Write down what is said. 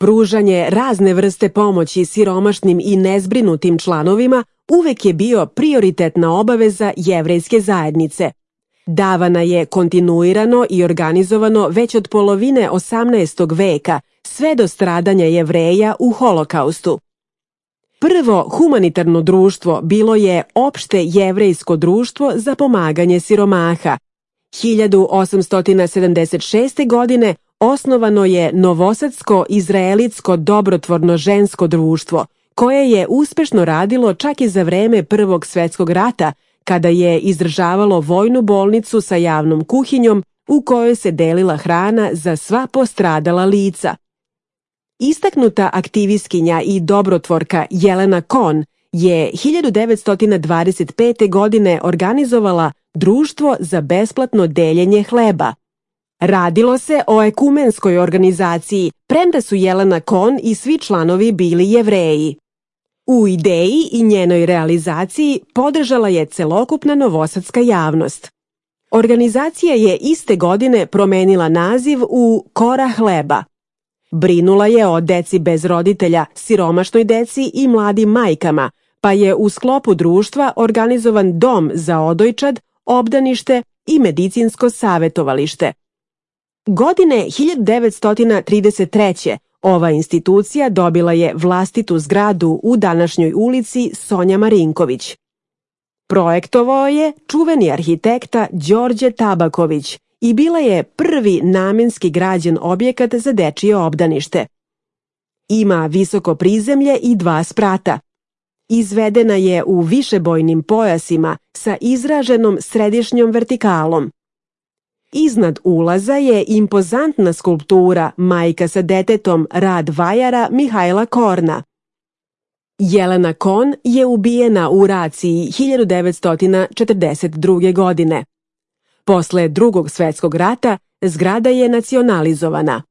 Pružanje razne vrste pomoći siromašnim i nezbrinutim članovima uvek je bio prioritetna obaveza jevrejske zajednice. Davana je kontinuirano i organizovano već od polovine 18. veka, sve do stradanja Jevreja u Holokaustu. Prvo humanitarno društvo bilo je Opšte jevrejsko društvo za pomaganje siromaha. 1876. godine osnovano je Novosadsko-izraelitsko dobrotvorno žensko društvo, koje je uspešno radilo čak i za vreme Prvog svetskog rata, kada je izdržavalo vojnu bolnicu sa javnom kuhinjom u kojoj se delila hrana za sva postradala lica. Istaknuta aktivistkinja i dobrotvorka Jelena Kohn je 1925. godine organizovala Društvo za besplatno deljenje hleba. Radilo se o ekumenskoj organizaciji, premda su Jelena Kohn i svi članovi bili Jevreji. U ideji i njenoj realizaciji podržala je celokupna novosadska javnost. Organizacija je iste godine promenila naziv u Kora hleba. Brinula je o deci bez roditelja, siromašnoj deci i mladim majkama, pa je u sklopu društva organizovan dom za odojčad, obdanište i medicinsko savetovalište. Godine 1933. ova institucija dobila je vlastitu zgradu u današnjoj ulici Sonja Marinković. Projektovao je čuveni arhitekta Đorđe Tabaković i bila je prvi namenski građen objekat za dečije obdanište. Ima visoko prizemlje i 2 sprata. Izvedena je u višebojnim pojasima sa izraženom središnjom vertikalom. Iznad ulaza je impozantna skulptura Majka sa detetom rad vajara Mihajla Korna. Jelena Kohn je ubijena u raciji 1942. godine. Posle Drugog svetskog rata zgrada je nacionalizovana.